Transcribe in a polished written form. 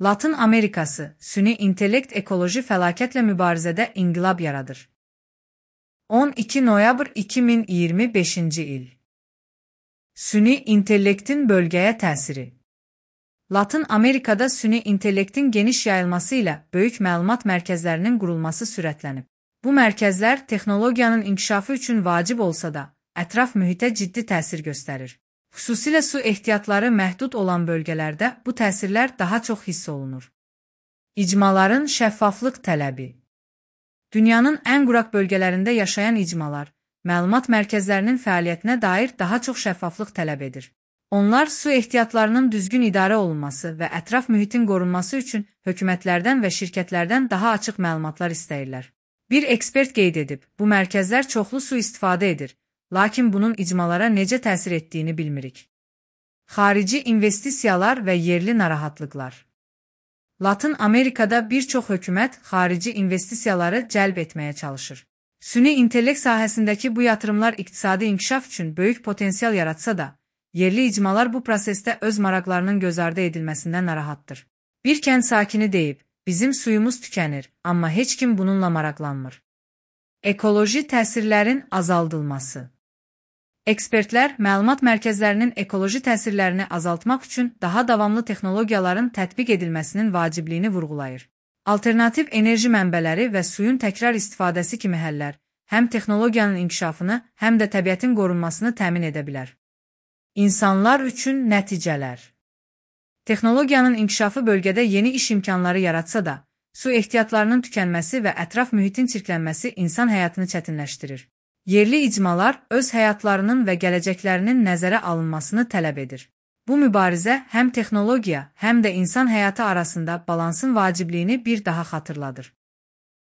Latın Amerikası, süni intellekt ekoloji fəlakətlə mübarizədə inqilab yaradır. 12 noyabr 2025-ci il. Süni intellektin bölgəyə təsiri. Latın Amerikada süni intellektin geniş yayılması ilə böyük məlumat mərkəzlərinin qurulması sürətlənib. Bu mərkəzlər texnologiyanın inkişafı üçün vacib olsa da, ətraf mühitə ciddi təsir göstərir. Xüsusilə su ehtiyatları məhdud olan bölgələrdə bu təsirlər daha çox hiss olunur. İcmaların şəffaflıq tələbi. Dünyanın ən quraq bölgələrində yaşayan icmalar, məlumat mərkəzlərinin fəaliyyətinə dair daha çox şəffaflıq tələb edir. Onlar su ehtiyatlarının düzgün idarə olunması və ətraf mühitin qorunması üçün hökumətlərdən və şirkətlərdən daha açıq məlumatlar istəyirlər. Bir ekspert qeyd edib, bu mərkəzlər çoxlu su istifadə edir, lakin bunun icmalara necə təsir etdiyini bilmirik. Xarici investisiyalar və yerli narahatlıqlar. Latın Amerikada bir çox hökumət xarici investisiyaları cəlb etməyə çalışır. Süni intellekt sahəsindəki bu yatırımlar iqtisadi inkişaf üçün böyük potensial yaratsa da, yerli icmalar bu prosesdə öz maraqlarının göz ardı edilməsindən narahatdır. Bir kənd sakini deyib, bizim suyumuz tükənir, amma heç kim bununla maraqlanmır. Ekoloji təsirlərin azaldılması. Ekspertlər məlumat mərkəzlərinin ekoloji təsirlərini azaltmaq üçün daha davamlı texnologiyaların tətbiq edilməsinin vacibliyini vurğulayır. Alternativ enerji mənbələri və suyun təkrar istifadəsi kimi həllər həm texnologiyanın inkişafını, həm də təbiətin qorunmasını təmin edə bilər. İnsanlar üçün nəticələr. Texnologiyanın inkişafı bölgədə yeni iş imkanları yaratsa da, su ehtiyatlarının tükənməsi və ətraf mühitin çirklənməsi insan həyatını çətinləşdirir. Yerli icmalar öz həyatlarının və gələcəklərinin nəzərə alınmasını tələb edir. Bu mübarizə həm texnologiya, həm də insan həyatı arasında balansın vacibliyini bir daha xatırladır.